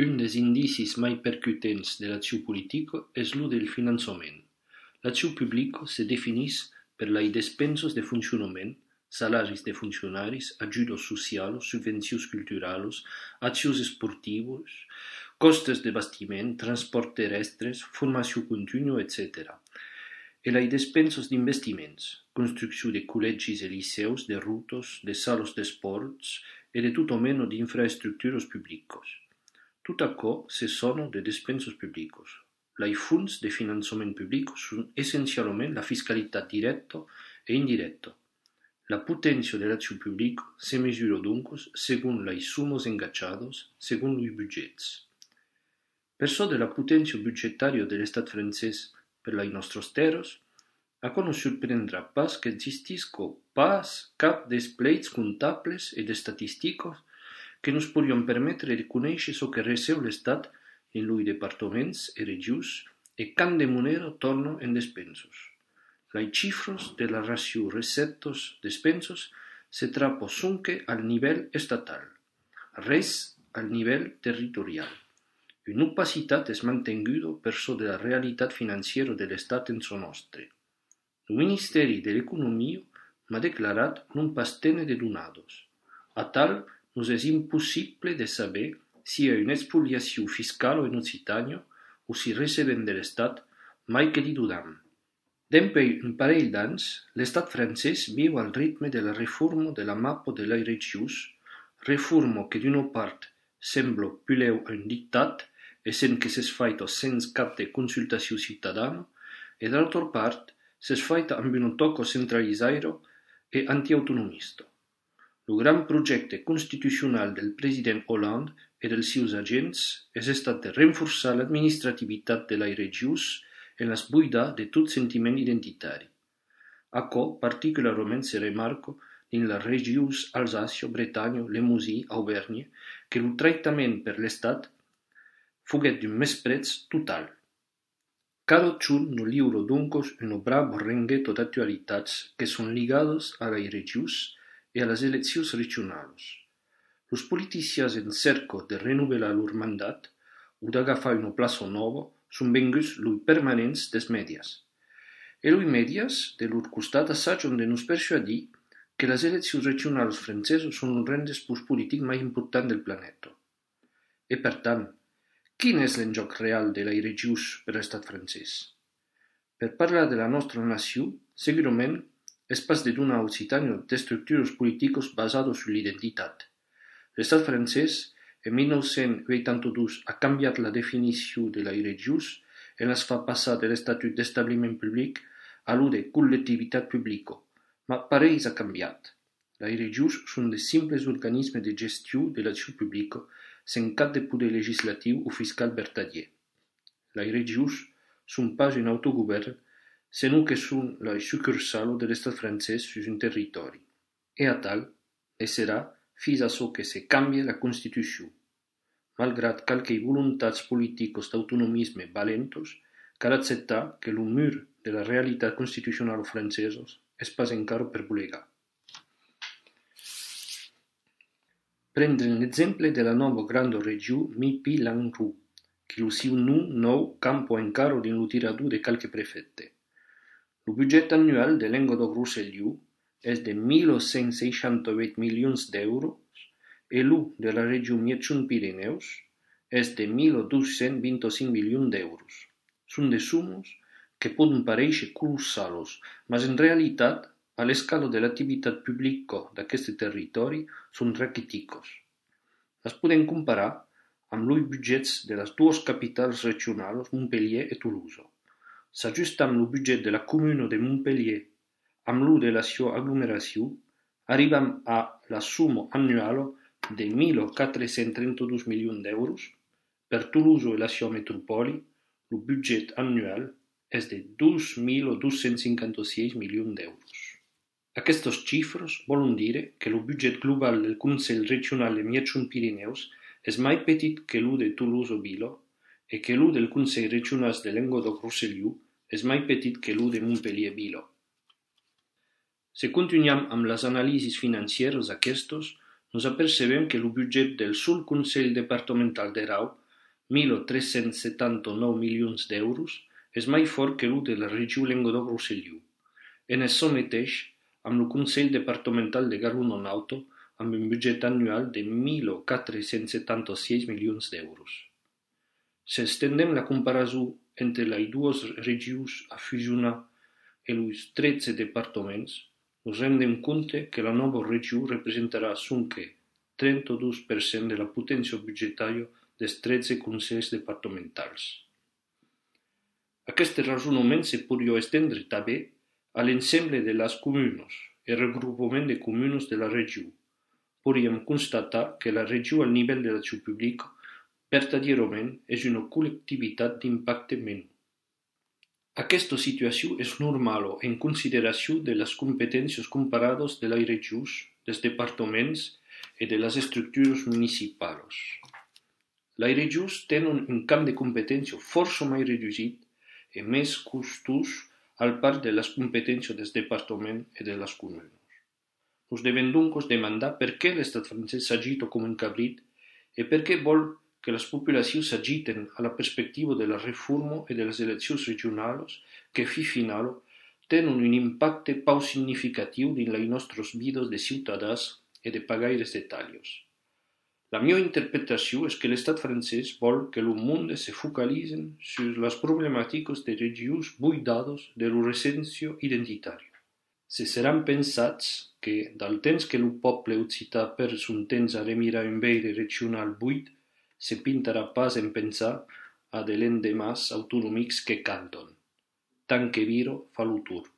Un des indicis mai percutents de l'acció politica és lo del finançament. L'acció publica se definís per les despenses de funcionament, salaris de funcionaris, ajudes socials, subvencions culturals, accions esportives, costes de bastiment, transport terrestres, formació contínua, etc. E les despenses d'investiments, construcció de col·legis e liceus, de rutes, de sales d'esports e de tot mena d'infraestructures publiques. Tot aquò se sono de despenses publiques. Les fonts de finançament public són essencialment la fiscalitat directa e indirecta. La potència de l'acció publica se mesura donc según les sommes engagades, según los budgets. Per so de la potència budgetària de l'estat francès per les nostres terres, aquò no sorprendrà pas que existisca pas cap dels pleits comptables e d'estatistiques que nos podrien permetre de conèixer ce que receu l'Estat en los departaments e regions e quant de moneda torna en despenses. Les xifres de la ració recettes-despenses se trappa sonque al nivell estatal, res al nivell territorial. Una opacitat és mantenguda per so de la realitat financiera de l'Estat en so nostre. El Ministeri de l'Economia m'ha declarat non pas tenir de donades. A tal, nos és impossible de saber si hi ha una expoliació fiscal en Occitània o si recebem de l'Estat mai que li dudam. D'empè un parell d'anys, l'Estat francès viu al ritme de la reforma de la mappa de les regions, reforma que d'una part sembla puleu a un dictat, essent que s'és faita sense cap de consultació ciutadana, e d'altra part s'és faita amb una toca centralitzada e antiautonomista. El gran projecte constitucional del president Hollande e dels seus agents és estat de renforçar l'administrativitat de les regions en las buidar de tot sentiment identitari. Aquò particularment se remarca en les regions Alsàcia, Bretanya, Limousin, Auvergne, que el tractament per l'Estat foguet d'un mespretz total. Cadascun no lliura donc una brava rengueta d'actualitats que són ligades a les regions e a les eleccions regionals. Els politicians en cerca de renovelar leur mandat o d'agafar una plaça nova són venguts los permanents dels mèdias. E los mèdias, de leur costat, assagen de nos persuadir que les eleccions regionals franceses són el rendezvous polític més important del planeta. E per tant, quin és l'enjoc real de les regions per l'estat francès? Per parlar de la nostra nació, segurament és pas de donar a Occitània d'estructures polítiques basades sur l'identitat. L'estat francès, en 1982, ha canviat la definició de les regions i les fa passar de l'estatut d'establiment public a lo de col·lectivitat publica. Ma pareix ha canviat. Les regions són de simples organismes de gestió de l'acció publica sense cap de poder legislatiu o fiscal vertadier. Les regions són pas un autogovern, sinó que són les sucursals de l'estat francès sur un territori. E a tal, ne serà fins a çò que se canvie la Constitució. Malgrat qualques voluntats politiques d'autonomisme valentes, cal acceptar que el mur de la realitat constitucional francesa és pas encara per volegar. Prendre l'exemple de la nova grande regió Midi-Languedoc, que el seu nom nou campa encara dins el tirador de qualques prefectes. El budget annual de Languedoc-Roussillon és de 1.168 milions d'euros e el de la regió Miètjon-Pirineus és de 1.225 milions d'euros. Són de sumes que poden parèixer colossals, mas en realitat, a l'escala de l'activitat publica d'aquest territori, són raquítiques. Les podem comparar amb els budgets de les dues capitals regionals, Montpellier i Toulouse. S'ajustant el budget de la comuna de Montpellier amb el de la seva aglomeració, arribem a la suma annual de 1.432 milions d'euros. Per Toulouse i la seva metropoli, el budget annual és de 2.256 milions d'euros. Aquestes xifres volen dir que el budget global del Consell Regional de Miètjon-Pirineus és més petit que el de Toulouse-Vila e que el del Consell Regional de Languedoc-Roussillon és més petit que el de Montpellier-Vila. Si continuem amb les anàlisis financeres aquestes, nos apercebem que el budget del sol Consell Departamental d'Erau 1.379 milions d'euros, és mai fort que el de la regió Languedoc-Rosselló. En açò mateix, amb el Consell Departamental de Garona-Auto, amb un budget annual de 1.476 milions d'euros. Si estendem la comparació entre les dues regions a fusionar i els 13 departaments, nos rendem compte que la nova regió representarà sonque 32% de la potència budgetària dels 13 consells departamentals. Aquest raonament se podria estendre també a l'ensemble de les comunes i regroupament de comunes de la regió. Podríem constatar que la regió al nivell de l'acció pública verdaderament és una col·lectivitat d'impacte menor. Aquesta situació és normal en consideració de les competències comparades de les regions, dels departaments i de les estructures municipals. Les regions tenen un camp de competència força més reduït i més costós al part de les competències dels departaments i de les comunes. Nos devem doncs demandar per què l'estat francès s'agita com un cabrit i per què vol que les populacions s'agiten a la perspectiva de la reforma i de les eleccions regionals que, fi final, tenen un impacte prou significatiu dins les nostres vides de ciutadans i de pagaires d'Itàlia. La meva interpretació és que l'estat francès vol que el món se focalitzi sur les problemàtiques de regions buidades de l'essència identitària. Se seran pensats que, del temps que el poble occità perd son temps a remirar un veire regional buit, se pintarà pas en pensar a de l'endemàs autonòmics que canten. Tant que viro fa l'autor.